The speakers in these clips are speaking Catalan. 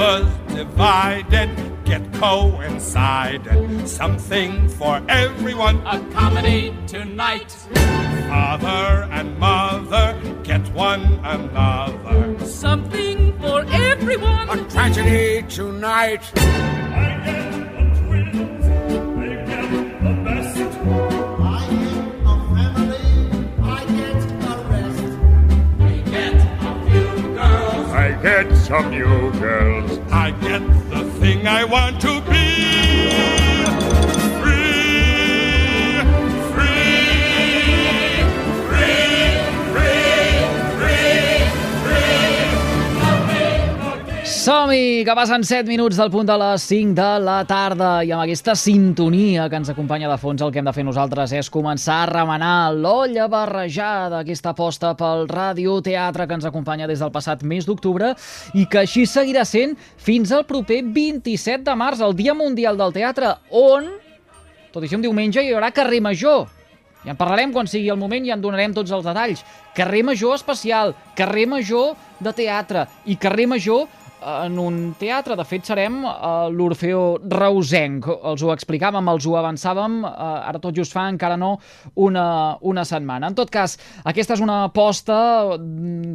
was divided get coincided. Something for everyone. A comedy tonight. Father and mother get one another. Something for everyone. A tragedy tonight. I get the twins, they get the best. I get a family, I get a rest. We get a few girls. I get some new girls. I get the thing I want to be. Som-hi, que passen 7 minuts del punt de les 5 de la tarda i amb aquesta sintonia que ens acompanya de fons el que hem de fer nosaltres és començar a remenar l'olla barrejada, aquesta aposta pel radioteatre que ens acompanya des del passat mes d'octubre i que així seguirà sent fins al proper 27 de març, el Dia Mundial del Teatre, on, tot i ser un diumenge, hi haurà carrer major. Ja en parlarem quan sigui el moment i en donarem tots els detalls. Carrer major especial, carrer major de teatre i carrer major en un teatre. De fet, serem a l'Orfeó Reusenc. Els ho explicàvem, els ho avançàvem, ara tot just fa encara no una setmana. En tot cas, aquesta és una aposta,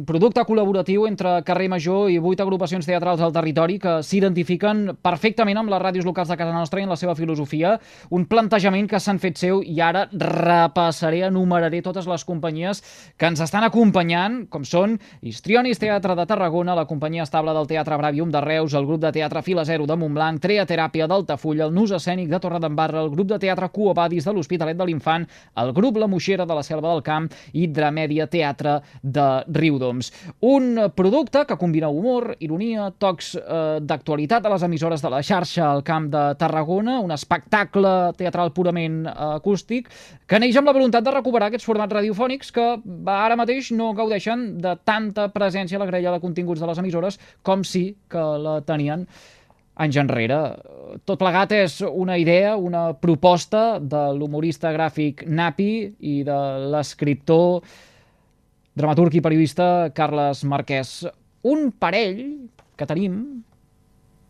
producte col·laboratiu entre Carrer Major i 8 agrupacions teatrals al territori que s'identifiquen perfectament amb les ràdios locals de casa nostra i en la seva filosofia. Un plantejament que s'han fet seu i ara repassaré, enumeraré totes les companyies que ens estan acompanyant, com són Histrionis Teatre de Tarragona, la companyia estable del Teatre Bravium de Reus, el grup de teatre Fila Zero de Montblanc, Treateràpia d'Altafulla, el Nus Escènic de Torredembarra, el grup de teatre Cuobadis de l'Hospitalet de l'Infant, el grup La Moixera de la Selva del Camp i Dramèdia Teatre de Riudoms. Un producte que combina humor, ironia, tocs d'actualitat a les emissores de la xarxa al Camp de Tarragona, un espectacle teatral purament acústic que neix amb la voluntat de recuperar aquests formats radiofònics que ara mateix no gaudeixen de tanta presència a la grella de continguts de les emissores com sí que la tenien anys enrere. Tot plegat és una idea, una proposta de l'humorista gràfic Napi i de l'escriptor, dramaturg i periodista Carles Marquès. Un parell que tenim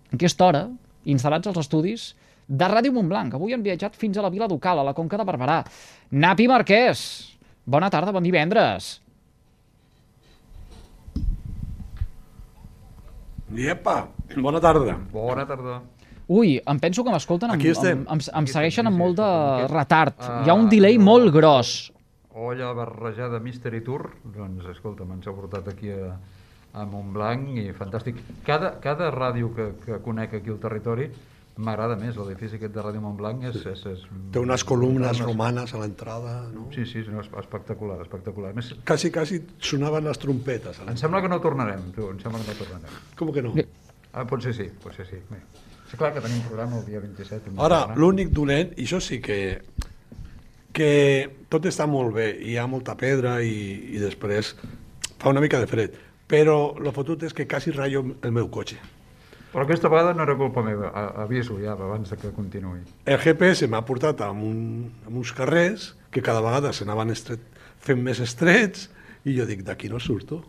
en aquesta hora instal·lats als estudis de Ràdio Montblanc. Avui han viatjat fins a la Vila Ducal, a la Conca de Barberà. Napi Marquès, bona tarda, bon divendres. Iepa, bona tarda. Bona tarda. Ui, em penso que m'escolten, em segueixen amb molt de retard. Hi ha un Ah, delay molt gros. Olla barrejada Mystery Tour, doncs escolta, ens ha portat aquí a Montblanc i fantàstic. Cada ràdio que conec aquí al territori m'agrada més, l'edifici aquest de Ràdio Montblanc Té unes columnes romanes a l'entrada, no? Sí, no, espectacular, espectacular. Més, Quasi sonaven les trompetes. em sembla que no tornarem, tu, em sembla que no tornarem. Com que no? Potser sí. Bé. És clar que tenim un programa el dia 27. Ara, l'únic dolent, i això sí que tot està molt bé, hi ha molta pedra i després fa una mica de fred, però el fotut és que quasi ratllo el meu cotxe. Però aquesta vegada no era culpa meva, aviso ja abans que continuï. El GPS m'ha portat a uns carrers que cada vegada s'anaven fent més estrets i jo dic, d'aquí no surto.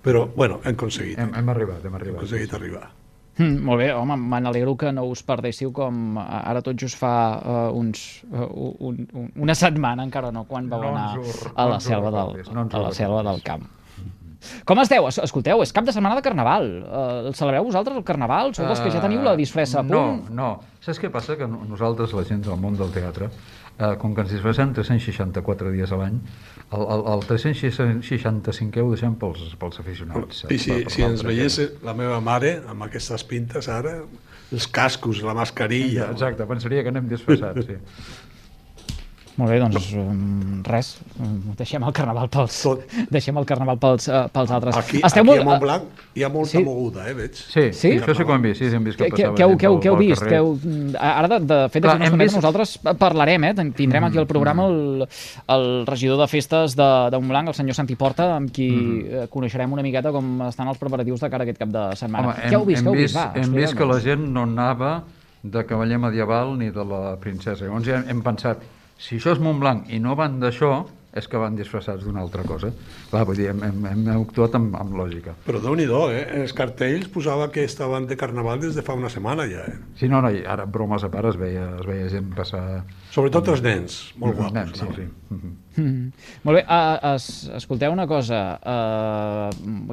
Però, bueno, hem aconseguit. Hem arribat. Hem aconseguit arribar. Molt bé, home, me n'alegro que no us perdéssiu com ara tot just fa una setmana, encara no, quan vau anar a la selva del Camp. Com esteu? Escolteu, és cap de setmana de Carnaval. El celebreu vosaltres, el Carnaval? Sou els que ja teniu la disfressa a punt? No. Saps què passa? Que nosaltres, la gent del món del teatre, com que ens disfressem 364 dies a l'any, el 365è ho deixem pels aficionats. I si ens veiés la meva mare amb aquestes pintes ara, els cascos, la mascarilla... Exacte, pensaria que anem disfressats, sí. Molt bé, doncs res, deixem el Carnaval pels altres. Aquí a Montblanc hi ha molta moguda, veig. Sí, això sí que ho hem vist, hem vist que passava. Què heu vist? Ara, de fet, d'aquí unes setmanes nosaltres parlarem, tindrem aquí al programa el regidor de festes de Montblanc, el senyor Santi Porta, amb qui coneixerem una miqueta com estan els preparatius de cara a aquest cap de setmana. Què heu vist? Hem vist que la gent no anava de cavaller medieval ni de la princesa. Llavors hem pensat, si això és Montblanc i no van d'això, és que van disfressats d'una altra cosa. Clar, vull dir, hem actuat amb lògica. Però Déu-n'hi-do, els cartells posava que estaven de carnaval des de fa una setmana ja. Sí, no, i ara, bromes a part, es veia gent passar... Sobretot els nens, molt guapos. Nens, sí. Molt bé, escolteu una cosa,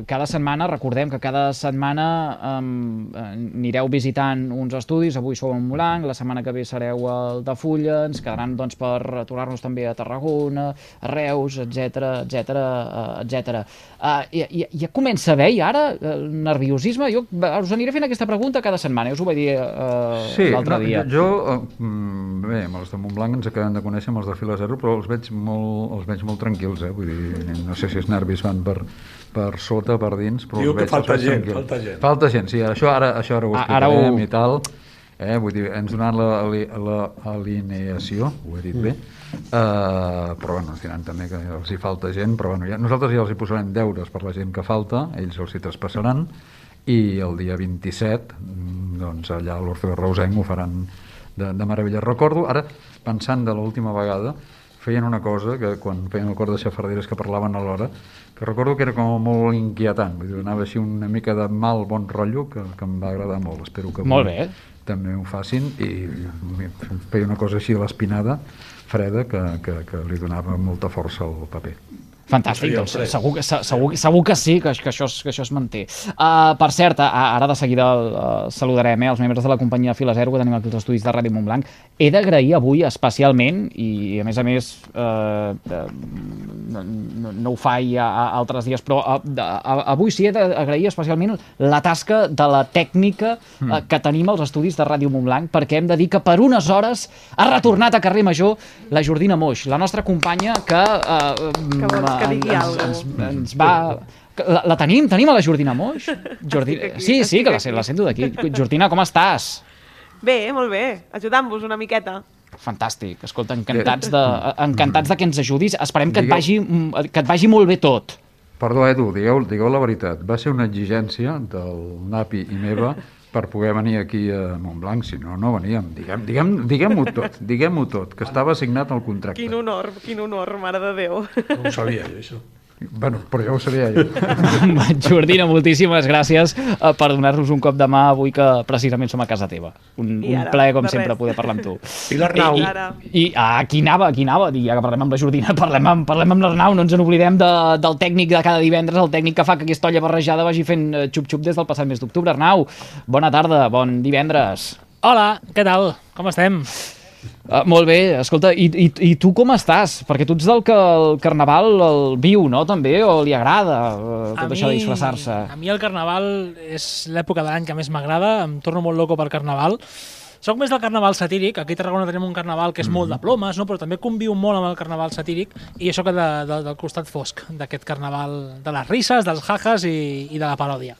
cada setmana, recordem que cada setmana anireu visitant uns estudis, avui sou a Montblanc, la setmana que ve sereu al de Fulla, ens quedaran doncs, per tornar-nos també a Tarragona, a Reus, etc. Ja comença a haver ara el nerviosisme. Jo us aniré fent aquesta pregunta cada setmana, us ho vaig dir l'altre dia. Bé, amb els de Montblanc ens acabem de conèixer, amb els de Fila Zero, però els veig molt tranquils, vull dir, no sé si els nervis van per sota, per dins, però diu els que veig falta gent, tranquils. Falta gent, sí, això ara ho explicarem i tal. Vull dir, ens donaran l'alineació, ho he dit bé, però bueno, ens diran també que els hi falta gent, però bueno, nosaltres ja els hi posarem deures per la gent que falta, ells els hi traspassaran, i el dia 27 doncs allà a l'Orfeó Reusenc ho faran de meravella. Recordo, ara, pensant de l'última vegada, feien una cosa que quan feien el cor de xafarderes que parlaven alhora, que recordo que era com molt inquietant, vull dir, anava així una mica de bon rotllo que em va agradar molt. Espero que molt bé. També ho facin, i feia una cosa així a l'espinada, freda, que li donava molta força al paper. Fantàstic, doncs segur que sí, que això es manté. Per cert, ara de seguida saludarem els membres de la companyia Fila Zero que tenim aquí als estudis de Ràdio Montblanc. He d'agrair avui especialment, i a més no ho faig altres dies, però avui sí he d'agrair especialment la tasca de la tècnica que tenim als estudis de Ràdio Montblanc, perquè hem de dir que per unes hores ha retornat a Carrer Major la Jordina Moix, la nostra companya que que digui alguna ens va... La tenim a la Jordina Moix? Sí, que la sento d'aquí. Jordina, com estàs? Bé, molt bé, ajudant-vos una miqueta. Fantàstic, escolta, encantats de que ens ajudis. Esperem que et vagi molt bé tot. Perdó, Edu, digueu la veritat. Va ser una exigència del Napi i meva per poder venir aquí a Montblanc, si no, no veníem. Diguem-ho tot, que estava assignat al contracte. Quin honor, mare de Déu. No ho sabia jo, això. Bueno, però ja ho sabia jo. Jordina, moltíssimes gràcies per donar-nos un cop de mà avui que precisament som a casa teva. Un plaer, com sempre, poder parlar amb tu. I l'Arnau. I aquí anava, ja que parlem amb la Jordina, parlem amb l'Arnau, no ens n'oblidem del tècnic de cada divendres, el tècnic que fa que aquesta olla barrejada vagi fent xup-xup des del passat mes d'octubre. Arnau, bona tarda, bon divendres. Hola, què tal? Com estem? Molt bé, escolta, i tu com estàs? Perquè tu ets del que el Carnaval el viu, no, també, o li agrada tot això de disfressar-se? A mi el Carnaval és l'època de l'any que més m'agrada, em torno molt loco per Carnaval. Soc més del Carnaval satíric, aquí a Tarragona tenim un Carnaval que és molt de plomes, no? Però també conviu molt amb el Carnaval satíric, i això que del costat fosc d'aquest Carnaval, de les risses, dels jajas i de la paròdia.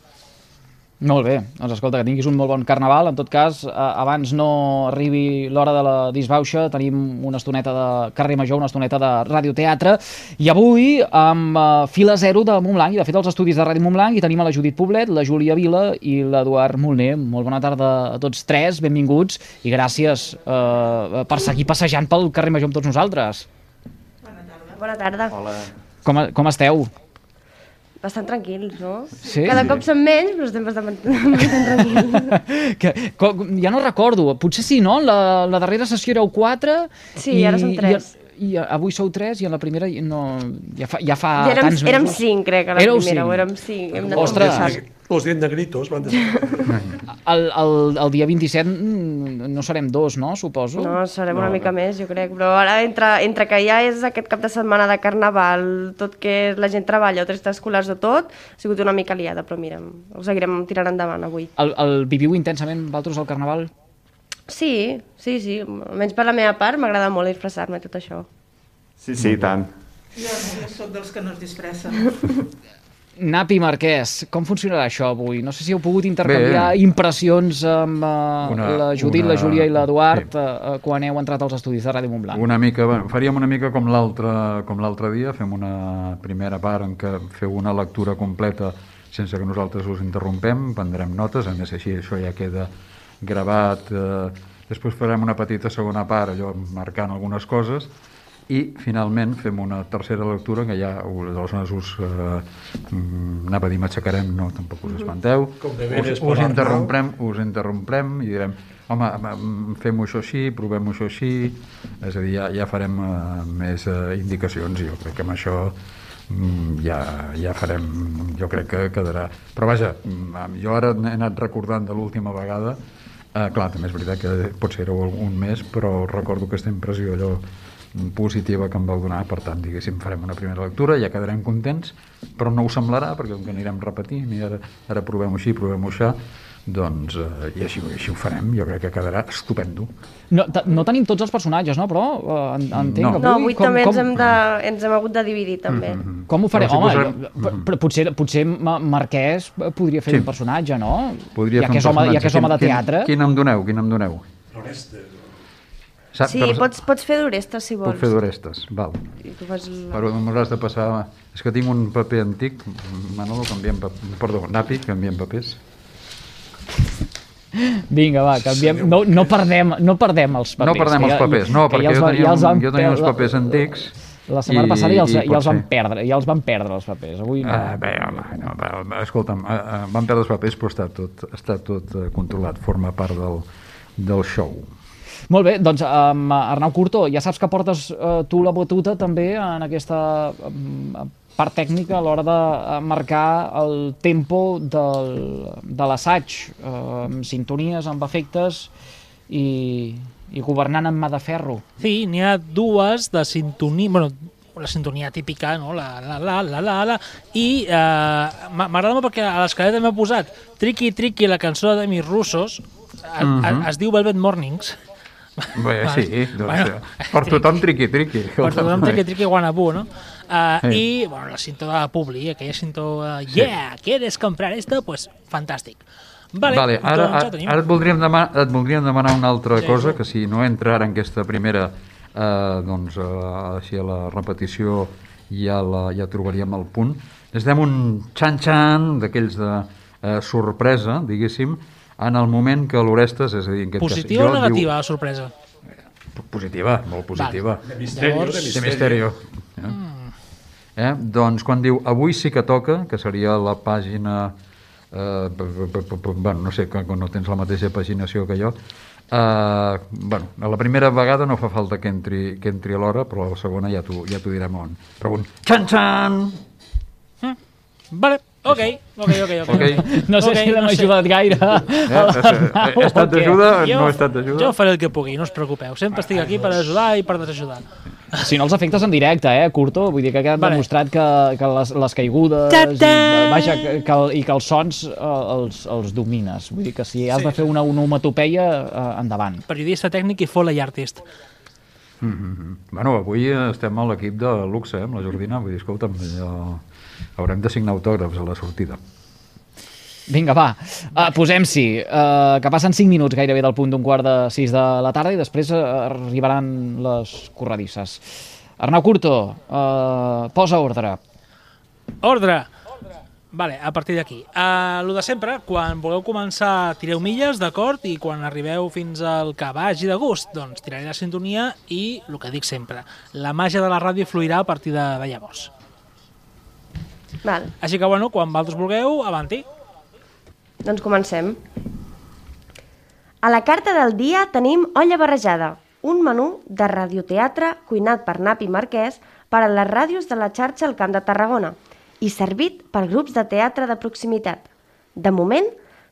Molt bé, doncs escolta, que tinguis un molt bon Carnaval. En tot cas, abans no arribi l'hora de la disbauxa, tenim una estoneta de Carrer Major, una estoneta de radioteatre, i avui amb Fila Zero de Montblanc, i de fet els estudis de Ràdio Montblanc, i tenim a la Judit Poblet, la Júlia Vila i l'Eduard Molner. Molt bona tarda a tots tres, benvinguts, i gràcies per seguir passejant pel Carrer Major amb tots nosaltres. Bona tarda. Hola. Com esteu? Bastant tranquils, no? Sí? Cada cop som menys, però estem bastant tranquils. Ja no recordo, potser sí, no? La darrera sessió éreu 4. Sí, ara som 3. I avui sou 3 i en la primera ja fa tants mesos. Érem 5, crec, a la primera, o érem 5. Ostres! Los 10 negritos van El dia 27 no serem 2, no? Suposo. No, serem una mica més, jo crec. Però ara, entre que ja és aquest cap de setmana de Carnaval, tot que la gent treballa, o 3 escolars o tot, ha sigut una mica liada, però mira, ho seguirem tirant endavant avui. El viviu intensament, vosaltres, al Carnaval? Sí. Almenys per la meva part m'agrada molt disfressar-me tot això. Sí, tant. Jo soc dels que no es disfressen. Napi Marquès, com funcionarà això avui? No sé si heu pogut intercanviar impressions amb la Judit, la Júlia i l'Eduard quan heu entrat als estudis de Ràdio Montblanc. Una mica, faríem una mica com l'altre dia, fem una primera part en què feu una lectura completa sense que nosaltres us interrompem, prendrem notes, a més així això ja queda gravat, després farem una petita segona part, allò marcant algunes coses, i finalment fem una tercera lectura que ja aleshores anava a dir m'aixecarem, no, tampoc us espanteu, us interromprem i direm home, fem-ho això així, provem-ho això així, és a dir, ja farem més indicacions i jo crec que amb això ja farem, jo crec que quedarà, però vaja, jo ara he anat recordant de l'última vegada, clar, també és veritat que potser era un mes, però recordo aquesta impressió allò positiva que em vau donar, per tant, diguéssim, farem una primera lectura, ja quedarem contents, però no ho semblarà, perquè com que anirem repetint i ara provem-ho així, provem-ho això, doncs, i així ho farem, jo crec que quedarà estupendo. No tenim tots els personatges, no? Però entenc que... No, avui també ens hem hagut de dividir, també. Com ho farem? Home, potser Marquès podria fer un personatge, no? Ja que és home de teatre. Quin em doneu? L'Orestes. Sí, pots fer d'Orestes, si vols. Puc fer d'Orestes, val. Però m'hauràs de passar... És que tinc un paper antic, Manolo, Napi, canviem papers. Vinga, va, canviem. No perdem els papers. No perdem els papers, no, perquè jo tenia uns papers antics. La setmana passada ja els van perdre els papers. Avui no. Bé, home, escolta'm, van perdre els papers, però està tot controlat, forma part del show. Molt bé, doncs Arnau Curto, ja saps que portes tu la batuta també en aquesta part tècnica a l'hora de marcar el tempo de l'assaig, amb sintonies, amb efectes i governant amb mà de ferro. Sí, n'hi ha dues de sintonia, bueno, la sintonia típica, no? La, i m'agrada molt perquè a l'escaleta m'he posat Triqui Triqui, la cançó de Demis Russos, es diu Velvet Mornings. Bé, sí, doncs, per tothom triqui. Per tothom triqui guanabú, no? I, bueno, la cinta de Publi, aquella cinta, yeah, ¿quieres comprar esto? Pues fantàstic. Vale, ara et voldríem demanar una altra cosa, que si no entra ara en aquesta primera, doncs, així a la repetició ja trobaríem el punt. Necessitem un xan-xan d'aquells de sorpresa, diguéssim, en el moment que l'Orestes, és a dir... Positiva o negativa, la sorpresa? Positiva, molt positiva. De misterio. Doncs quan diu avui sí que toca, que seria la pàgina... bueno, no sé, que no tens la mateixa paginació que jo. Bueno, a la primera vegada no fa falta que entri a l'hora, però a la segona ja t'ho direm on. Però un xan-xan! Vale. Ok. No sé si l'hem ajudat gaire. He estat d'ajuda o no he estat d'ajuda? Jo faré el que pugui, no us preocupeu. Sempre estic aquí per ajudar i per desajudar. Si no, els efectes en directe, Curto? Vull dir que ha quedat demostrat que les caigudes i que els sons els domines. Vull dir que si has de fer una onomatopeia, endavant. Periodista tècnic i foley artist. Bueno, avui estem a l'equip de luxe, amb la Jordina. Vull dir, escolta'm, haurem de signar autògrafs a la sortida. Vinga, va, posem-s'hi, que passen 5 minuts gairebé del punt d'5:15 de la tarda i després arribaran les corredisses. Arnau Curto, posa ordre. Ordre! Vale, a partir d'aquí. Lo de sempre, quan vulgueu començar, tireu milles, d'acord? I quan arribeu fins al que vagi de gust, doncs tiraré la sintonia i, el que dic sempre, la màgia de la ràdio fluirà a partir de llavors. Val. Així que, bueno, quan vosaltres vulgueu, avanti. Doncs comencem. A la carta del dia tenim Olla barrejada, un menú de radioteatre cuinat per Napi Marquès per a les ràdios de la xarxa al Camp de Tarragona i servit per grups de teatre de proximitat. De moment,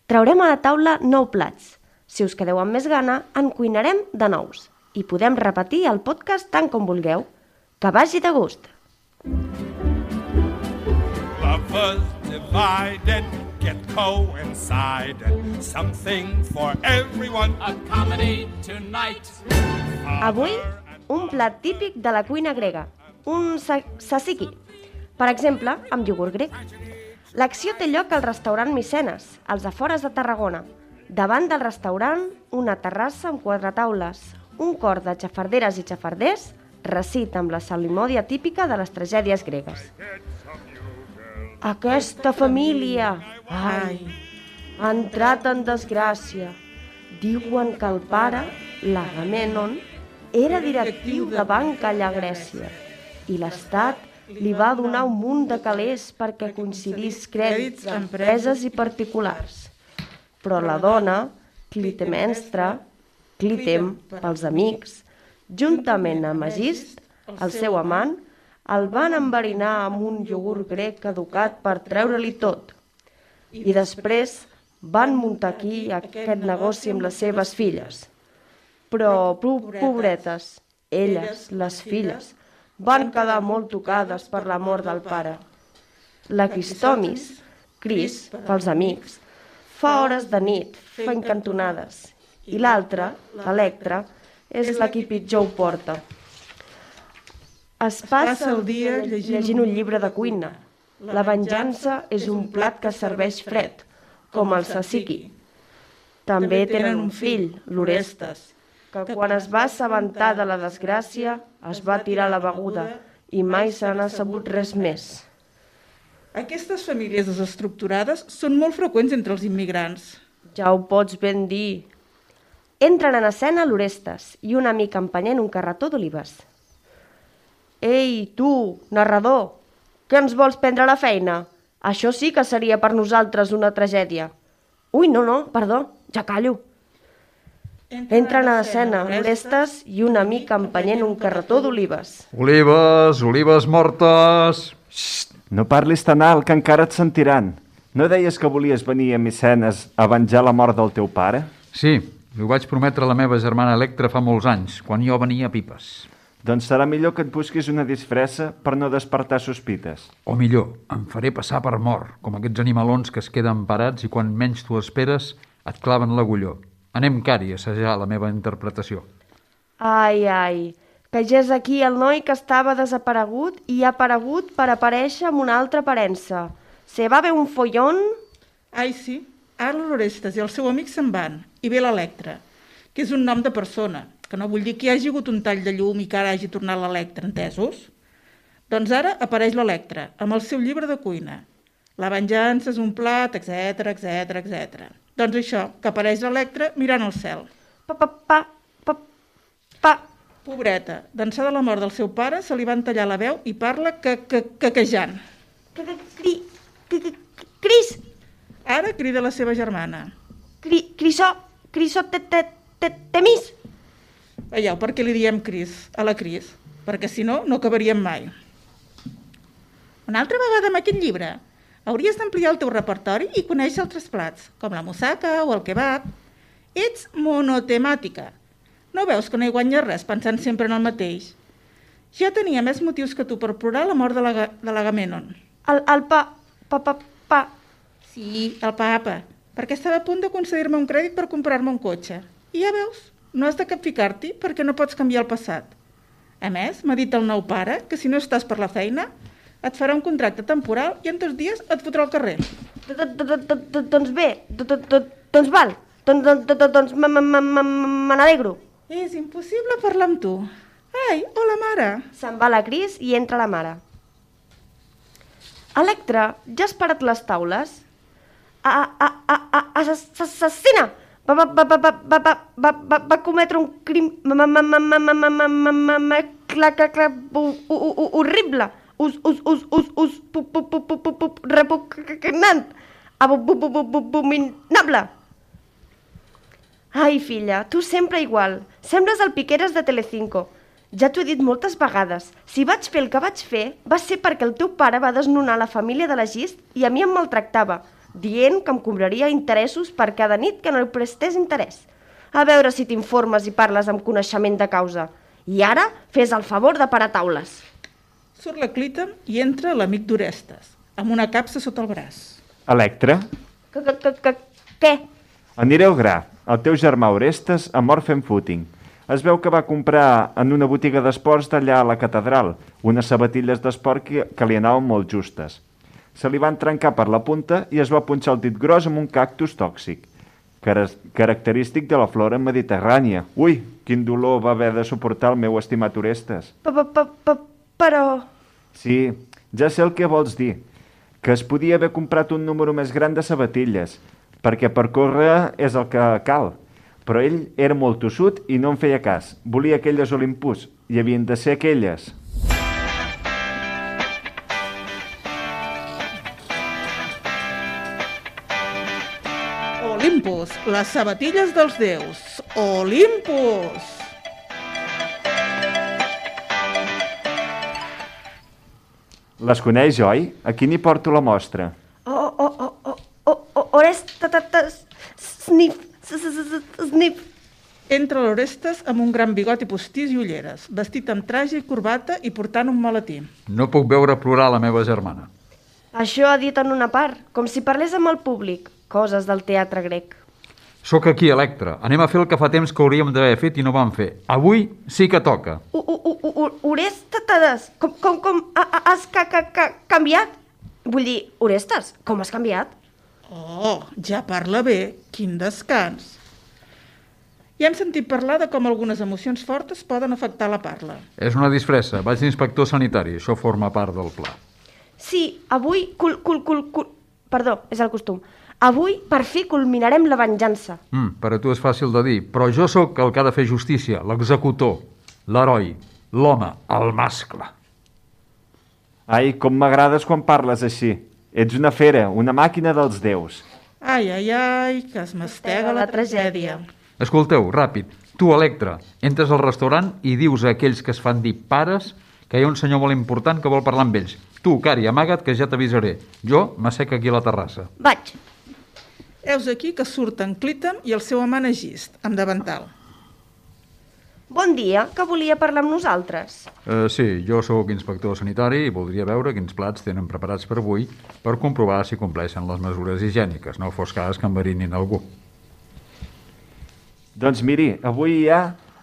traurem a la taula 9 plats. Si us quedeu amb més gana, en cuinarem de nous. I podem repetir el podcast tant com vulgueu. Que vagi de gust! Lovers divided get coincided. Something for everyone. A comedy tonight. Avui, un plat típic de la cuina grega, un tzatziki. Per exemple, amb iogurt grec. L'acció té lloc al restaurant Micenes, als afores de Tarragona. Davant del restaurant, una terrassa amb 4 taules, un cor de xafarderes i xafarders, recit amb la salimòdia típica de les tragèdies gregues. Aquesta família, ai, ha entrat en desgràcia. Diuen que el pare, l'Agamenon, era directiu de banca allà a Grècia i l'Estat li va donar un munt de calés perquè coincidís crèdits a empreses i particulars. Però la dona, Clitemnestra, Clitem pels amics, juntament amb Egist, el seu amant, el van enverinar amb un iogurt grec caducat per treure-li tot. I després van muntar aquí aquest negoci amb les seves filles. Però, pobretes, elles, les filles, van quedar molt tocades per la mort del pare. La Cristomis, Cris, pels amics, fa hores de nit, fent cantonades, i l'altra, l'Electra, és la qui pitjor ho porta. Es passa el dia llegint un llibre de cuina. La venjança és un plat que serveix fred, com el tzatziki. També tenen un fill, l'Orestes, que quan es va assabentar de la desgràcia es va tirar la beguda i mai se n'ha sabut res més. Aquestes famílies desestructurades són molt freqüents entre els immigrants. Ja ho pots ben dir. Entren en escena l'Orestes i un amic empenyent un carretó d'olives. Ei, tu, narrador, que ens vols prendre la feina? Això sí que seria per nosaltres una tragèdia. Ui, no, perdó, ja callo. Entren a l'escena l'Orestes i un amic empenyent un carretó d'olives. Olives mortes! Xxt, no parlis tan alt, que encara et sentiran. No deies que volies venir a Micenes a venjar la mort del teu pare? Sí, ho vaig prometre a la meva germana Electra fa molts anys, quan jo venia a Pipes. Doncs serà millor que et busquis una disfressa per no despertar sospites. O millor, em faré passar per mort, com aquests animalons que es queden parats i quan menys t'ho esperes et claven l'agulló. Anem, Cari, a assajar la meva interpretació. Ai, que ja és aquí el noi que estava desaparegut i ha aparegut per aparèixer amb una altra aparença. Se va haver un follón? Ai, sí. Ara l'Orestes i el seu amic se'n van, i ve l'Electra, que és un nom de persona, que no vull dir que hi hagi hagut un tall de llum i que ara hagi tornat l'Electra, entesos? Doncs ara apareix l'Electra, amb el seu llibre de cuina. La venjança és un plat, etc. Doncs això, que apareix l'Electra mirant al cel. Pobreta, d'ençà de la mort del seu pare, se li van tallar la veu i parla quequejant. Cris! Ara crida la seva germana. Temis! Veieu per què li diem Cris, a la Cris? Perquè si no, no acabaríem mai. Una altra vegada amb aquest llibre, hauries d'ampliar el teu repertori i conèixer altres plats, com la moussaka o el kebab. Ets monotemàtica. No veus que no hi guanyes res pensant sempre en el mateix? Ja tenia més motius que tu per plorar la mort de l'Agamenon. El pa... Sí, el papa, perquè estava a punt de concedir-me un crèdit per comprar-me un cotxe. I ja veus, no has de capficar-t'hi perquè no pots canviar el passat. A més, m'ha dit el nou pare que si no estàs per la feina, et farà un contracte temporal i en 2 dies et fotrà al carrer. Doncs bé, doncs val, doncs me n'alegro. És impossible parlar amb tu. Ai, hola, mare. Se'n va la Cris i entra la mare. Electra, ja has parat les taules? Assassina! Va cometre un crim horrible, repugnant, abominable. Ai, filla, tu sempre igual. Sembles el Piqueras de Telecinco. Ja t'ho he dit moltes vegades. Si vaig fer el que vaig fer, va ser perquè el teu pare va desnonar la família de l'Egist i a mi em maltractava, dient que em cobraria interessos per cada nit que no li prestés interès. A veure si t'informes i parles amb coneixement de causa. I ara, fes el favor de parar taules. Surt la Clitem i entra l'amic d'Orestes, amb una capsa sota el braç. Electra? Què? Aniré al gra. El teu germà Orestes ha mort fent footing. Es veu que va comprar en una botiga d'esports d'allà a la catedral unes sabatilles d'esport que li anaven molt justes. Se li van trencar per la punta i es va punxar el dit gros amb un cactus tòxic, característic de la flora mediterrània. Ui, quin dolor va haver de suportar el meu estimat Orestes. Però... Sí, ja sé el que vols dir, que es podia haver comprat un número més gran de sabatilles, perquè per córrer és el que cal. Però ell era molt tossut i no en feia cas. Volia aquelles Olympus i havien de ser aquelles. Olympus, les sabatilles dels déus. Olympus! Les coneix, oi? Aquí n'hi porto la mostra. Orestes, snif, snif. Entra l'Orestes amb un gran bigot i postís i ulleres, vestit amb traje i corbata i portant un maletí. No puc veure plorar la meva germana. Això ha dit en una part, com si parlés amb el públic. Coses del teatre grec. Sóc aquí, Electra. Anem a fer el que fa temps que hauríem d'haver fet i no vam fer. Avui sí que toca. Orestes, com has canviat? Vull dir, Orestes, com has canviat? Oh, ja parla bé. Quin descans. Ja hem sentit parlar de com algunes emocions fortes poden afectar la parla. És una disfressa. Vaig d'inspector sanitari. Això forma part del pla. Sí, avui... Perdó, és el costum. Avui, per fi, culminarem la venjança. Per a tu és fàcil de dir, però jo sóc el que ha de fer justícia, l'executor, l'heroi, l'home, el mascle. Ai, com m'agrades quan parles així. Ets una fera, una màquina dels déus. Ai, que es mastega la tragèdia. Escolteu, ràpid, tu, Electra, entres al restaurant i dius a aquells que es fan dir pares que hi ha un senyor molt important que vol parlar amb ells. Tu, Cari, amaga't, que ja t'avisaré. Jo m'assec aquí a la terrassa. Vaig. Heus aquí que surten Clítem i el seu amant Egist, amb davantal. Bon dia, que volia parlar amb nosaltres. Sí, jo sóc inspector sanitari i voldria veure quins plats tenen preparats per avui per comprovar si compleixen les mesures higièniques. No fos cas que enverinin algú. Doncs miri, avui hi ha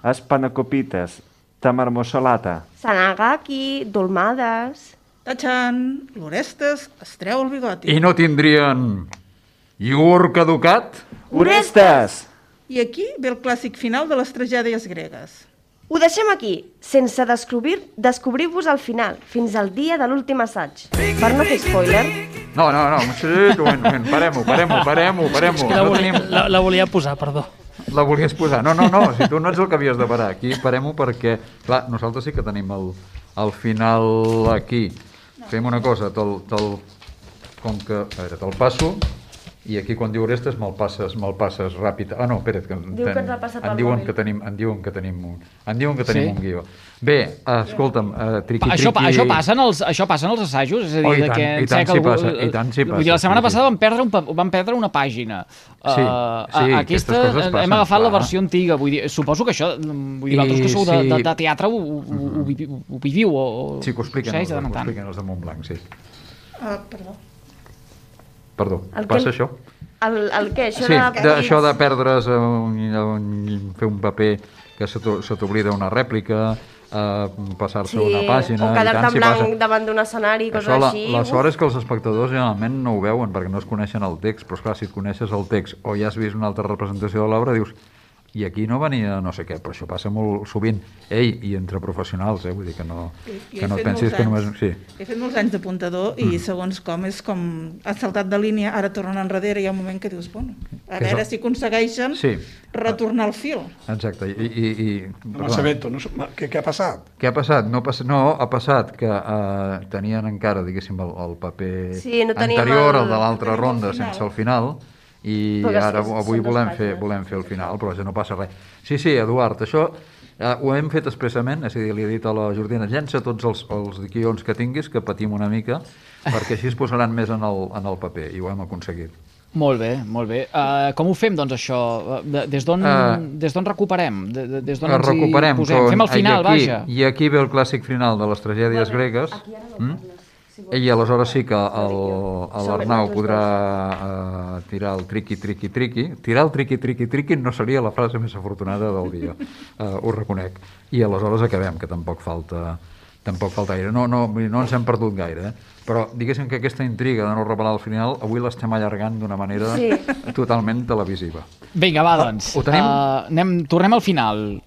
espanacopites, tamarmossolata. Sanagaki, dolmades... Tachan, l'Orestes es treu el bigoti. I no tindrien iogurt caducat? Orestes! I aquí ve el clàssic final de les tragèdies gregues. Ho deixem aquí, sense descobrir-vos al final, fins al dia de l'últim assaig. Per no fer spoiler... No, parem-ho. És que la volia posar, perdó. La volies posar. No, si tu no ets el que havies de parar. Aquí parem-ho perquè, clar, nosaltres sí que tenim el final aquí. Fem una cosa, com que... A veure, te'l passo, i aquí quan diu Orestes me'l passes ràpid. Ah, no, espera't, que ens ha passat em el diuen mòbil. que tenim un guió. Bé, escolta'm, triqui-triqui... Això passa en els assajos? És a dir, i tant s'hi passa. Vull dir, la setmana passada vam perdre una pàgina. Sí, aquesta coses passen, hem agafat la clar. versió antiga. Vull dir, suposo que això, vosaltres que sou de teatre ho viviu o... Sí, que ho expliquen els de Montblanc, sí. Perdó, passa això? El què? Sí, això de perdre's, fer un paper que se t'oblida una rèplica, passar-se una pàgina... O quedar-te en blanc davant d'un escenari, coses així. La sort és que els espectadors generalment no ho veuen perquè no es coneixen el text, però esclar, si et coneixes el text o ja has vist una altra representació de l'obra, dius... I aquí no venia no sé què, però això passa molt sovint. Ei, i entre professionals, vull dir que no et pensis que només... Sí. He fet molts anys d'apuntador i segons com és com has saltat de línia, ara tornen enrere i hi ha un moment que dius, bueno, a veure si aconsegueixen retornar el fil. Exacte. No m'assabento, què ha passat? Què ha passat? No, ha passat que tenien encara, diguéssim, el paper anterior, el de l'altra ronda, sense el final, i ara avui volem fer el final, però ja no passa res. Sí, Eduard, això ho hem fet expressament, és a dir, li he dit a la Jordina, llença tots els guions que tinguis, que patim una mica, perquè així es posaran més en el paper, i ho hem aconseguit. Molt bé. Com ho fem, doncs, això? Des d'on recuperem? Des d'on ens hi posem? Fem el final, vaja. I aquí ve el clàssic final de les tragèdies gregues. I aleshores sí que l'Arnau podrà tirar el triqui-triqui-triqui. Tirar el triqui-triqui-triqui no seria la frase més afortunada del dia, ho reconec. I aleshores acabem, que tampoc falta gaire. No ens hem perdut gaire, però diguéssim que aquesta intriga de no revelar al final avui l'estem allargant d'una manera totalment televisiva. Vinga, va, doncs. Ho tenim? Tornem al final.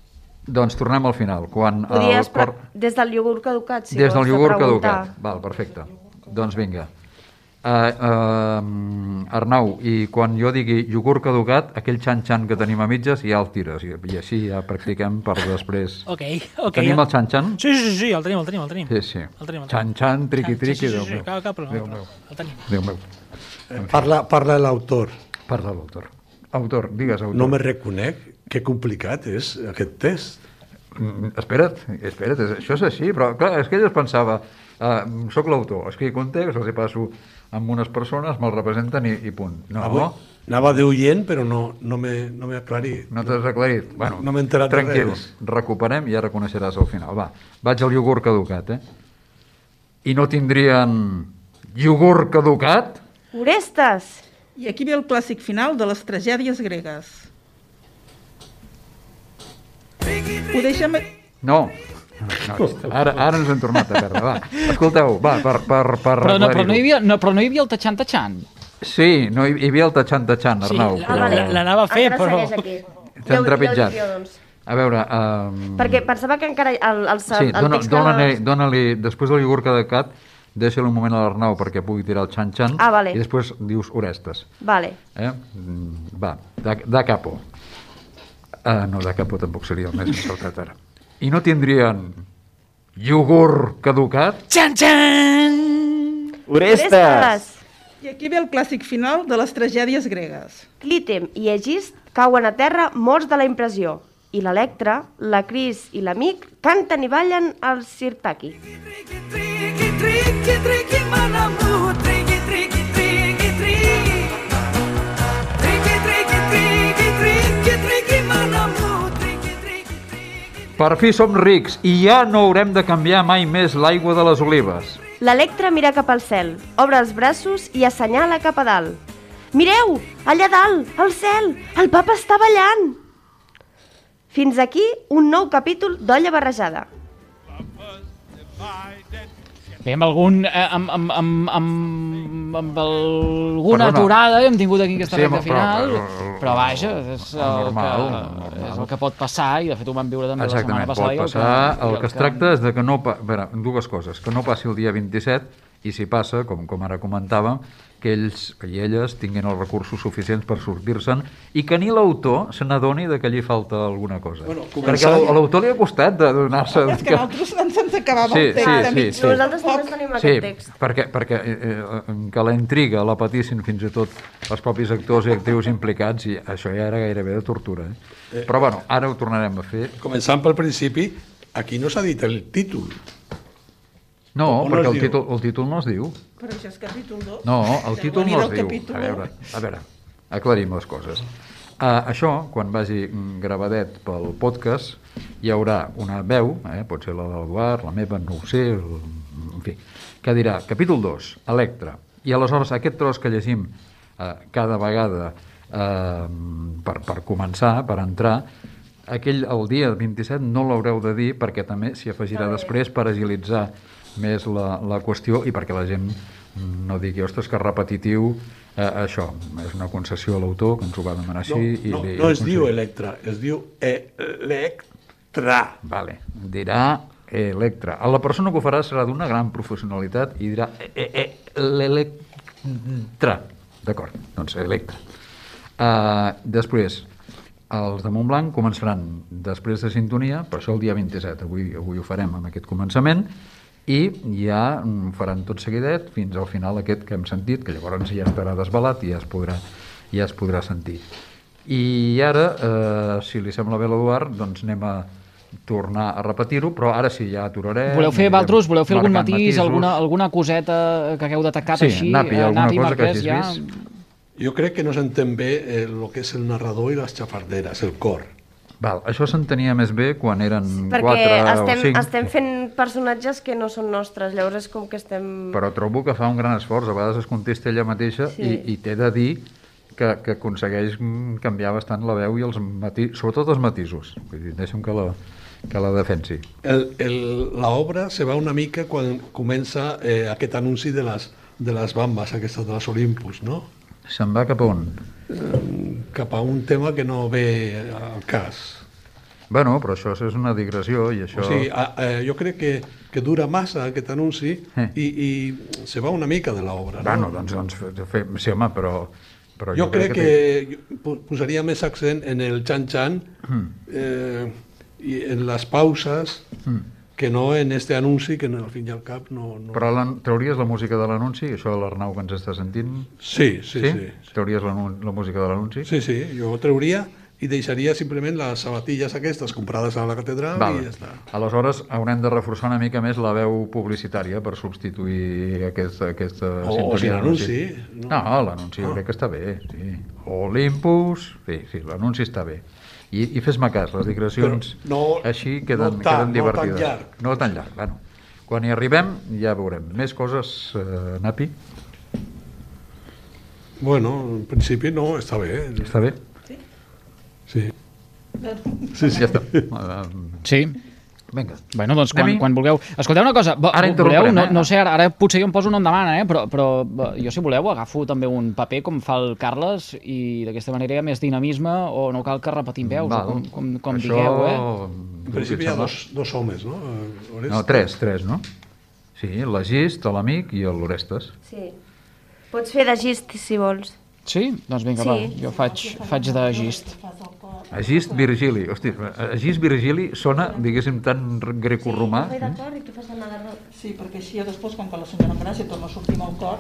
Doncs tornem al final. Des del iogurt caducat, si des del vols iogurt preguntar. caducat. Val, perfecte. Doncs vinga. Arnau, i quan jo digui iogurt caducat, aquell xan-xan que tenim a mitges ja el tires, i així ja practiquem per després. Ok. Tenim el xan-xan? Sí, el tenim. Sí. Xan-xan, triqui-triqui, Déu meu. Cap problema. El tenim. Déu meu. Parla l'autor. Parla l'autor. Autor, digues autor. No me reconec, que complicat és aquest test. Espera't, això és així, però clar, és que ell es pensava, soc l'autor, escric un text, els hi passo amb unes persones, me'l representen i punt. No. Anava d'oient, però no m'he aclarit. No t'has aclarit? Bueno, no m'he enterat de tranquil, res. recuperem i ja reconeixeràs al final. Va, vaig al iogurt caducat, I no tindrien iogurt caducat? Orestes! I aquí ve el clàssic final de les tragèdies gregues. Ho deixem... No, ara ens hem tornat a perdre, va. Escolteu, va, per però no hi havia el tachan-tachan. Sí, no hi havia el tachan-tachan, Arnau. Sí, l'anava a fer, però... T'hem trepitjat. A veure... Perquè pensava que encara el sí, dóna-li, després del iogurt caducat, deixa-li un moment a l'Arnau perquè pugui tirar el xan-xan vale. I després dius Orestes. Vale. Va, da capo. No, da capo tampoc seria el més encertat ara. I no tindrien iogurt caducat? Xan-xan! Orestes! I aquí ve el clàssic final de les tragèdies gregues. Clítem i Egist cauen a terra morts de la impressió. I l'Electra, la Cris i l'Amic canten i ballen al Sirtaki. Per fi som rics i ja no haurem de canviar mai més l'aigua de les olives. L'Electra mira cap al cel, obre els braços i assenyala cap a dalt. Mireu, allà dalt, al cel, el papa està ballant! Fins aquí un nou capítol d'Olla Barrejada. Bé, amb alguna aturada hem tingut aquí aquesta recta final, però vaja, és el que pot passar, i de fet ho vam viure també la setmana passada. Pot passar. El que es tracta és de que no... dues coses, que no passi el dia 27, i si passa, com ara comentàvem, que ells i elles tinguin els recursos suficients per sortir-se'n i que ni l'autor se n'adoni que allí falta alguna cosa. Perquè a l'autor li ha costat de donar-se... És que nosaltres se'ns acabava el text. Sí. Nosaltres també tenim aquest text. Perquè que la intriga la patissin fins i tot els propis actors i actrius implicats, i això ja era gairebé de tortura. Però bueno, ara ho tornarem a fer. Començant pel principi, aquí no s'ha dit el títol. No, perquè el títol no es diu. Però això és capítol 2. No, el títol no es diu. A veure, aclarim les coses. Això, quan vagi gravadet pel podcast, hi haurà una veu, pot ser la de l'Eduard, la meva, no ho sé, en fi, que dirà capítol 2, Electra. I aleshores aquest tros que llegim cada vegada per començar, per entrar, el dia 27 no l'haureu de dir perquè també s'hi afegirà després per agilitzar més la qüestió i perquè la gent no digui, ostres, que repetitiu això, és una concessió a l'autor que ens ho va demanar així. No es diu Electra, es diu Electra. Vale, dirà Electra. La persona que ho farà serà d'una gran professionalitat i dirà l'Electra. D'acord, doncs Electra. Després, els de Montblanc començaran després de sintonia, per això el dia 27, avui ho farem amb aquest començament, i ja faran tot seguidet fins al final aquest que hem sentit, que llavors ja estarà desvelat i ja es podrà sentir. I ara, si li sembla bé l'Eduard, doncs anem a tornar a repetir-ho, però ara sí, ja aturarem. Voleu fer algun matís, alguna coseta que hagueu detectat així? Sí, Napi, alguna cosa que hagis vist? Jo crec que no s'entén bé el que és el narrador i les xafarderes, el cor. Val, això s'entenia més bé quan eren 4 o 5. Perquè estem fent personatges que no són nostres, llavors és com que estem... Però trobo que fa un gran esforç, a vegades es contesta ella mateixa i t'he de dir que aconsegueix canviar bastant la veu i sobretot els matisos. Vull dir, deixa'm que la defensi. L'obra se va una mica quan comença aquest anunci de les bambes, aquestes de les Olympus, no? Se'n va cap a on? Cap a un tema que no ve al cas. Bueno, però això és una digressió i això... O sigui, jo crec que dura massa aquest anunci i se va una mica de l'obra. Bueno, doncs sí, home, però jo crec que posaria més accent en el xan-xan i en les pauses que no en este anunci que al fin i al cap no... Però trauries la música de l'anunci? Això l'Arnau que ens està sentint? Sí. Trauries la música de l'anunci? Sí, jo trauria i deixaria simplement les sabatilles aquestes comprades a la catedral i ja està. Aleshores haurem de reforçar una mica més la veu publicitària per substituir aquesta sintonia. O si l'anunci. No, l'anunci jo crec que està bé, sí. Olympus, sí, l'anunci està bé. I fes-me cas, les digressions així queden divertides. No tan llarg. Bueno, quan hi arribem ja veurem. Més coses, Napi? Bueno, en principi no, està bé. Està bé? Sí. Ja està. Sí. Vinga. Bueno, doncs quan vulgueu. Escolteu una cosa, voleu? No sé, ara potser jo em poso on em demana, però jo, si voleu, agafo també un paper com fa el Carles i d'aquesta manera hi ha més dinamisme o no cal que repetim veus, com digueu, En principi hi ha dos homes, no? No, tres, no? Sí, l'Agist, l'Amic i l'Orestes. Sí. Pots fer d'Agist, si vols. Sí? Doncs vinga, va, jo faig d'Agist. Agist Virgili. Hosti, Agist Virgili sona, diguéssim, tan grecorromà. Sí, perquè així després, com que la senyora Gràcia torna a sortir amb el cor...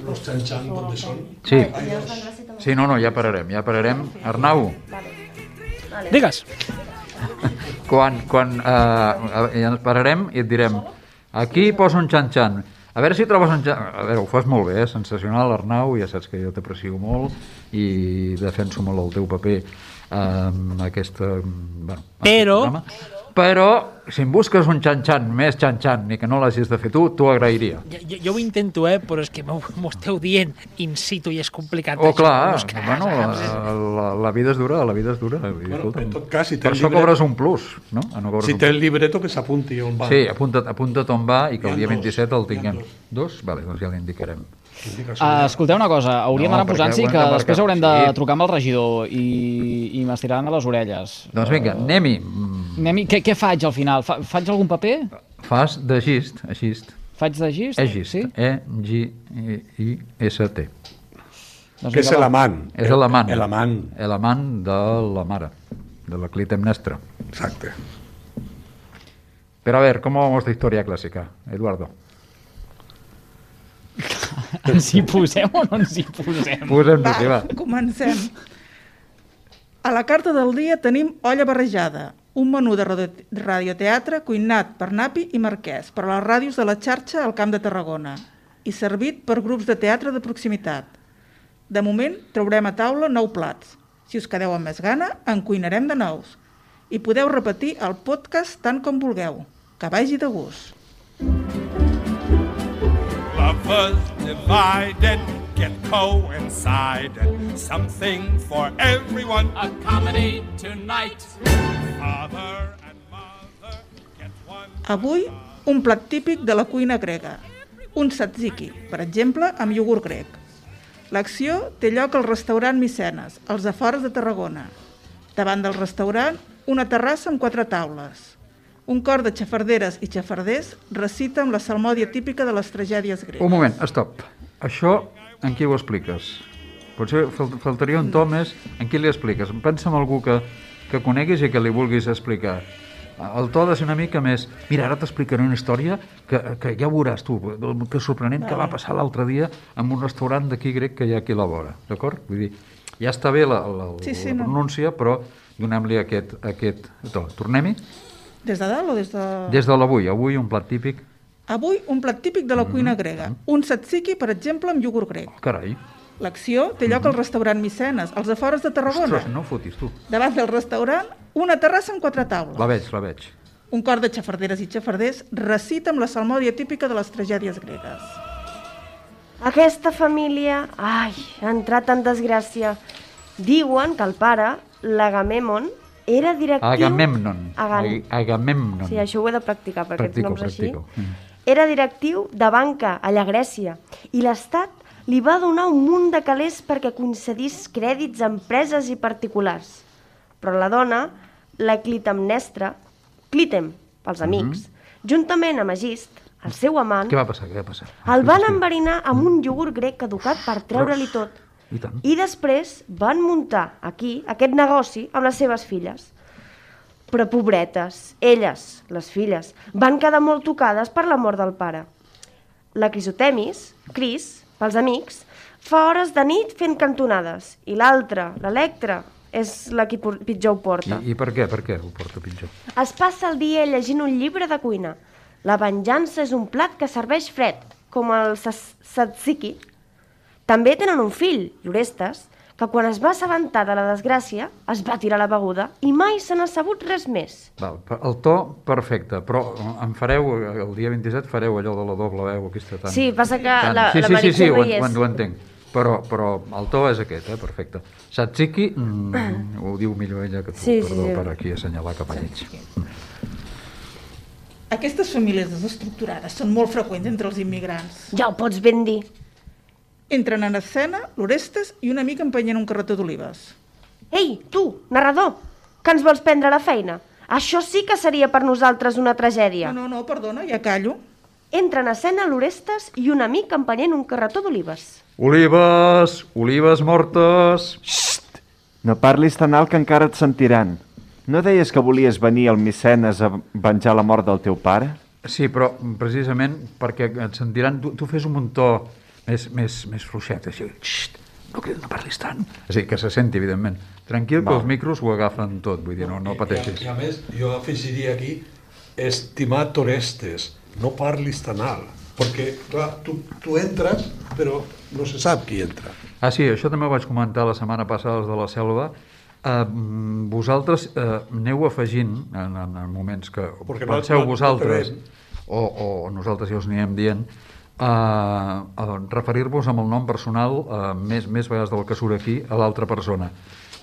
Los xan-xan, ¿dónde són? Sí. Sí, no, ja pararem. Arnau. Digues. Quan pararem i et direm aquí posa un xan-xan. A veure si trobes un xan... A veure, ho fas molt bé, sensacional, Arnau, ja saps que jo t'aprecio molt i defenso molt el teu paper en aquesta... Però, si em busques un xan-xan, més xan-xan, i que no l'hagis de fer tu, t'ho agrairia. Jo ho intento, però és que m'ho esteu dient in situ i és complicat. Oh, clar, bueno, la vida és dura, Bueno, en tot cas, si té per això cobres un plus, no? Si té el libreto, que s'apunti on va. Sí, apunta't on va i que el dia 27 el tinguem. Dos? Vale, doncs ja l'indicarem. Escolteu una cosa, hauríem d'anar posant-s'hi que després haurem de trucar amb el regidor i m'estiraran a les orelles. Doncs vinga, anem-hi. Què faig al final? Faig algun paper? Fas d'Agist. Faig d'Agist? Agist, E-G-I-S-T. Que és l'amant. És l'amant de la mare, de la Clitemnestra. Exacte. Pero a ver, ¿cómo vamos de historia clásica, Eduardo? Ens hi posem o no ens hi posem? Posem-nos-hi, va. Comencem. A la carta del dia tenim olla barrejada, un menú de radioteatre cuinat per Napi i Marquès per a les ràdios de la xarxa al Camp de Tarragona i servit per grups de teatre de proximitat. De moment, traurem a taula 9 plats. Si us quedeu amb més gana, en cuinarem de nous. I podeu repetir el podcast tant com vulgueu. Que vagi de gust. Lovers divided get coincided. Something for everyone. A comedy tonight. Father and mother get one. Avui, un plat típic de la cuina grega. Un tzatziki, per exemple, amb iogurt grec. L'acció té lloc al restaurant Micenes, als afores de Tarragona. Davant del restaurant, una terrassa amb 4 taules. Un cor de xafarderes i xafarders recita amb la salmòdia típica de les tragèdies gregues. Un moment, stop. Això, en qui ho expliques? Potser faltaria un to més. En qui li expliques? Pensa en algú que coneguis i que li vulguis explicar. El to ha de ser una mica més... Mira, ara t'explicaré una història que ja veuràs tu, que sorprenent que va passar l'altre dia en un restaurant d'aquí grec que hi ha aquí a la vora, d'acord? Vull dir, ja està bé la pronúncia, però donem-li aquest to. Tornem-hi? Des de dalt o des de... Des de l'avui. Avui un plat típic. Avui un plat típic de la cuina grega. Un tzatziki, per exemple, amb iogurt grec. Oh, carai. L'acció té lloc al restaurant Micenes, als afores de Tarragona. Ostres, no fotis, tu. Davant del restaurant, una terrassa amb 4 taules. La veig. Un cor de xafarderes i xafarders recita amb la salmòdia típica de les tragèdies gregues. Aquesta família, ha entrat en desgràcia. Diuen que el pare, l'Agamèmnon, era directiu... Agamèmnon. Sí, això ho he de practicar, perquè aquests noms així. Era directiu de banca allà a Grècia i l'Estat li va donar un munt de calés perquè concedís crèdits a empreses i particulars. Però la dona la Clitemnestra, Clitem, pels amics, juntament amb Egist, el seu amant, Què va passar? el van enverinar amb un iogurt grec caducat per treure-li tot. I tant. I després van muntar aquí aquest negoci amb les seves filles. Però pobretes, elles, les filles, van quedar molt tocades per la mort del pare. La Crisotemis, Cris, pels amics, fa hores de nit fent cantonades. I l'altra, l'Electra, és la que pitjor ho porta. I per què? Per què ho porta pitjor? Es passa el dia llegint un llibre de cuina. La venjança és un plat que serveix fred, com el tzatziki. També tenen un fill, l'Orestes, que quan es va assabentar de la desgràcia es va tirar la beguda i mai se n'ha sabut res més. Val, el to, perfecte, però em fareu, el dia 27 fareu allò de la doble veu aquesta tan... Sí, passa que la Sí, Meritxell no hi és. ho entenc, però el to és aquest, perfecte. Tzatziki, ho diu millor ella que tu, Sí, perdó, sí. per aquí assenyalar cap a ells. Aquestes famílies desestructurades són molt freqüents entre els immigrants. Ja ho pots ben dir. Entren en escena l'Orestes i una amiga empenyent un carretó d'olives. Ei, tu, narrador, que ens vols prendre la feina? Això sí que seria per nosaltres una tragèdia. No, perdona, ja callo. Entra en escena l'Orestes i un amic empenyent un carretó d'olives. Olives, olives mortes... Xxt! No parlis tan alt que encara et sentiran. No deies que volies venir al Micenes a venjar la mort del teu pare? Sí, però precisament perquè et sentiran... Tu fes un to més fluixet, així. Xxt, no parlis tant. És a dir, que se senti, evidentment. Tranquil, que els micros ho agafen tot, vull dir, no pateixis. I a més, jo afegiria aquí, estimat Orestes, no parlis tan alt, perquè, clar, tu entres, però no se sap qui entra. Ah, sí, això també ho vaig comentar la setmana passada als de la Selva. Vosaltres aneu afegint, en moments que penseu vosaltres, o nosaltres ja us anirem dient, a referir-vos amb el nom personal més vegades del que surt aquí a l'altra persona,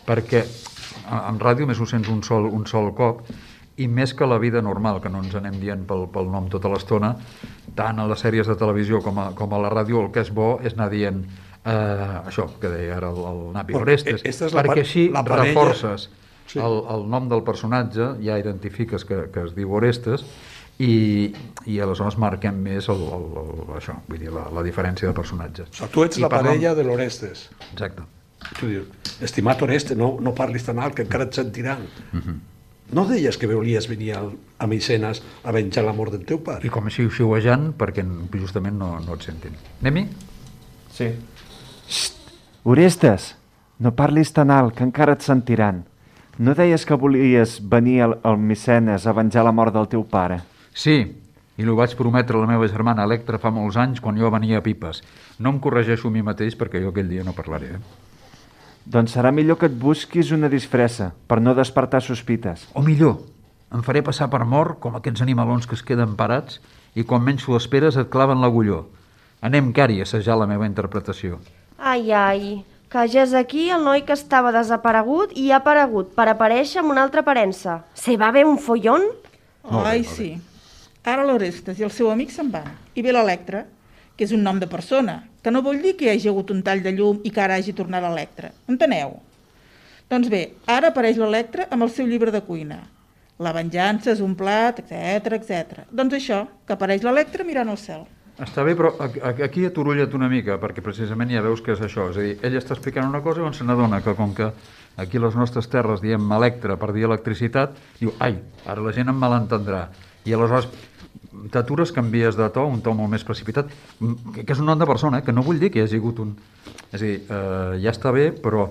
perquè en ràdio més ho sents un sol cop, i més que la vida normal, que no ens anem dient pel nom tota l'estona, tant a les sèries de televisió com a la ràdio, el que és bo és anar dient això que deia ara el Napi Orestes, perquè així reforces el nom del personatge, ja identifiques que es diu Orestes, i aleshores marquem més això, vull dir, la diferència de personatges. O sigui, tu ets la parella de l'Orestes. Exacte. Tu dius, estimat Orestes, no parlis tan alt que encara et sentiran. No deies que volies venir a Micenes a venjar la mort del teu pare? I com així xiuejant, perquè justament no et sentin. Anem-hi? Sí. Xxt! Orestes, no parlis tan alt que encara et sentiran. No deies que volies venir al Micenes a venjar la mort del teu pare? Sí, i ho vaig prometre a la meva germana Electra fa molts anys quan jo venia a Pipes. No em corregeixo a mi mateix perquè jo aquell dia no parlaré. Doncs serà millor que et busquis una disfressa per no despertar sospites. O millor, em faré passar per mort com aquests animalons que es queden parats i quan menys ho esperes et claven l'agulló. Anem, Cari, a assajar la meva interpretació. Ai, que ja és aquí el noi que estava desaparegut i ha aparegut per aparèixer amb una altra aparença. Se va bé un follón? Ai, sí. Ara l'Orestes i el seu amic se'n van. I ve l'Electra, que és un nom de persona, que no vol dir que hi hagi hagut un tall de llum i que ara hagi tornat l'Electra. Enteneu? Doncs bé, ara apareix l'Electra amb el seu llibre de cuina. La venjança és un plat, etc. Doncs això, que apareix l'Electra mirant al cel. Està bé, però aquí aturulla't una mica, perquè precisament ja veus que és això. És a dir, ell està explicant una cosa i on se n'adona que com que aquí a les nostres terres diem Electra per dir electricitat, diu, ai, ara la gent em malentendrà. I aleshores t'atures, canvies de to, un to molt més precipitat, que és un nom de persona, que no vull dir que hi hagi hagut un... És a dir, ja està bé, però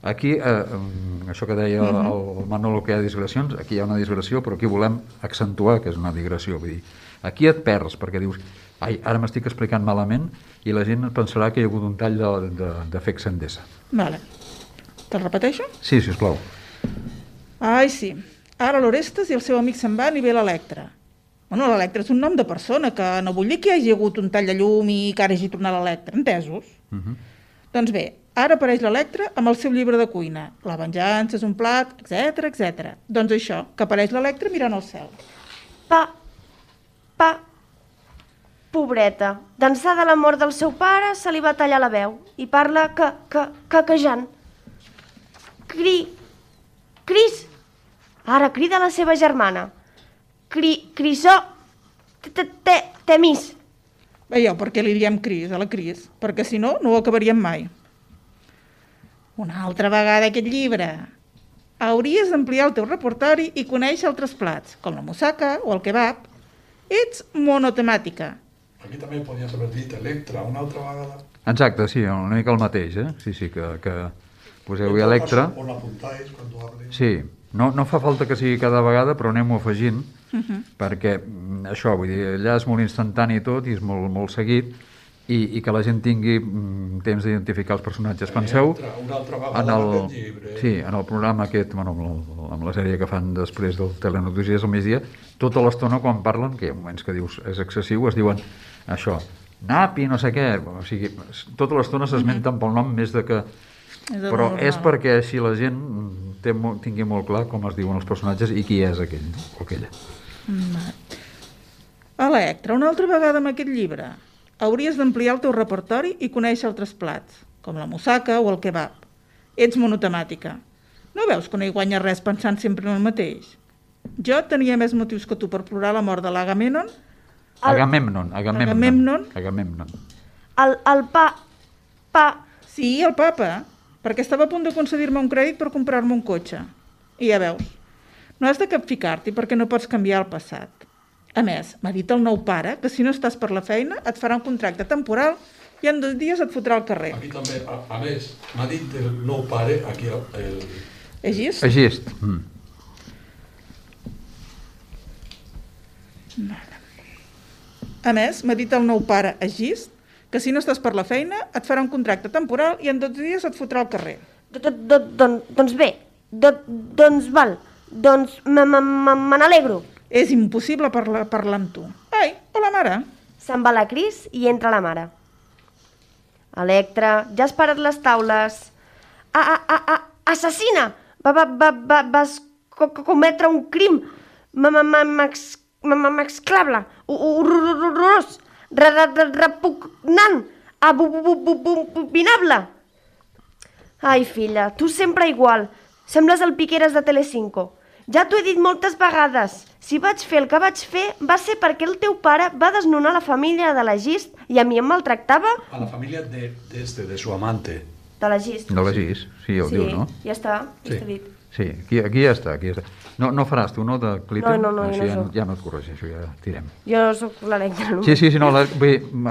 aquí, això que deia el Manolo, que hi ha digressions, aquí hi ha una digressió, però aquí volem accentuar que és una digressió. Vull dir, aquí et perds, perquè dius, ai, ara m'estic explicant malament i la gent pensarà que hi ha hagut un tall de FX Endesa. Vale. Te'l repeteixo? Sí, sisplau. Ai, sí. Ara l'Orestes i el seu amic se'n van i ve l'Electra. Bueno, l'Electra és un nom de persona, que no vull dir que hi hagi hagut un tall de llum i que ara hagi tornat l'Electra, entesos? Doncs bé, ara apareix l'Electra amb el seu llibre de cuina. La venjança és un plat, etc. Doncs això, que apareix l'Electra mirant al cel. Pobreta, d'ençà de la mort del seu pare se li va tallar la veu i parla caquejant. Cris, Ara crida la seva germana. Crisó... Temis. Veieu per què li diem Cris a la Cris? Perquè si no, no ho acabaríem mai. Una altra vegada aquest llibre. Hauries d'ampliar el teu repertori i conèixer altres plats, com la moussaka o el kebab. Ets monotemàtica. Aquí també podies haver dit Electra una altra vegada. Exacte, sí, una mica el mateix, eh? Sí, que poseu-hi Electra. O l'apuntáis quan hables. Sí, no fa falta que sigui cada vegada, però anem-ho afegint, perquè això, vull dir, allà és molt instantani tot i és molt seguit, i que la gent tingui temps d'identificar els personatges. Penseu en el programa aquest, bueno, amb la sèrie que fan després del Telenotícies al migdia, tota l'estona quan parlen, que hi ha moments que dius és excessiu, es diuen això, napi, no sé què, o sigui, tota l'estona s'esmenten pel nom més de que... Però és perquè així la gent tingui molt clar com es diuen els personatges i qui és aquell o aquella. Electra, una altra vegada amb aquest llibre. Hauries d'ampliar el teu repertori i conèixer altres plats, com la moussaka o el kebab. Ets monotemàtica. No veus que no hi guanya res pensant sempre en el mateix? Jo tenia més motius que tu per plorar la mort de l'Agamèmnon. Agamèmnon. El pa... Sí, el papa, perquè estava a punt de concedir-me un crèdit per comprar-me un cotxe. I ja veus, no has de capficar-t'hi perquè no pots canviar el passat. A més, m'ha dit el nou pare que si no estàs per la feina et farà un contracte temporal i en 2 dies et fotrà al carrer. Aquí també, a més, m'ha dit el nou pare, aquí el... Egist? Egist. A més, m'ha dit el nou pare Egist que si no estàs per la feina et farà un contracte temporal i en 2 dies et fotrà al carrer. Doncs bé, doncs val, doncs me n'alegro. És impossible parlar amb tu. Ai, hola mare. Se'n va la Cris i entra la mare. Electra, ja has parat les taules. Assassina! Vas cometre un crim m'exclable, horrorós, repugnant, abominable. Ai, filla, tu sempre igual. Sembles el Piqueras de Telecinco. Ja t'ho he dit moltes vegades. Si vaig fer el que vaig fer va ser perquè el teu pare va desnonar la família de l'Egist i a mi em maltractava... A la família de su amante. De l'Egist. De l'Egist, sí, ho diu, no? Ja està, ja està dit. Sí, aquí ja està. No faràs tu, no, de Clipper? No, ja no et corregeixo, ja tirem. Jo soc l'Electra. Sí, no,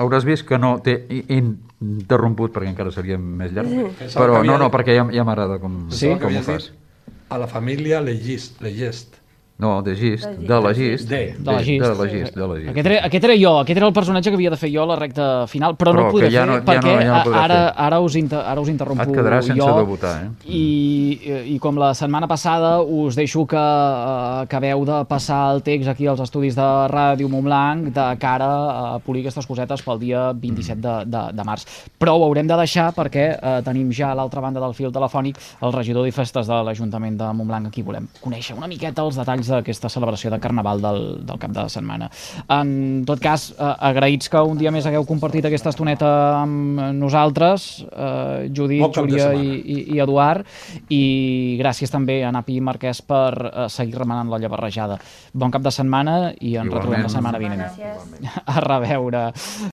hauràs vist que no t'he interromput perquè encara seria més llarg. Però no, perquè ja m'agrada com ho fas. A la família Legist. No, de Gist, de l'Egist. De l'Egist. Aquest era jo, aquest era el personatge que havia de fer jo a la recta final, però no ho poder fer perquè ara us interrompo jo. Et quedarà sense debutar, eh? I com la setmana passada us deixo que acabeu de passar el text aquí als estudis de Ràdio Montblanc de cara a polir aquestes cosetes pel dia 27 de març. Però ho haurem de deixar perquè tenim ja a l'altra banda del fil telefònic el regidor de festes de l'Ajuntament de Montblanc. Aquí volem conèixer una miqueta els detalls d'aquesta celebració de Carnaval del cap de setmana. En tot cas, agraïts que un dia més hagueu compartit aquesta estoneta amb nosaltres, Judit, Júlia i Eduard, i gràcies també a Napi Marquès per seguir remenant l'olla barrejada. Bon cap de setmana i ens retrobem la setmana vinent. Gràcies. A reveure.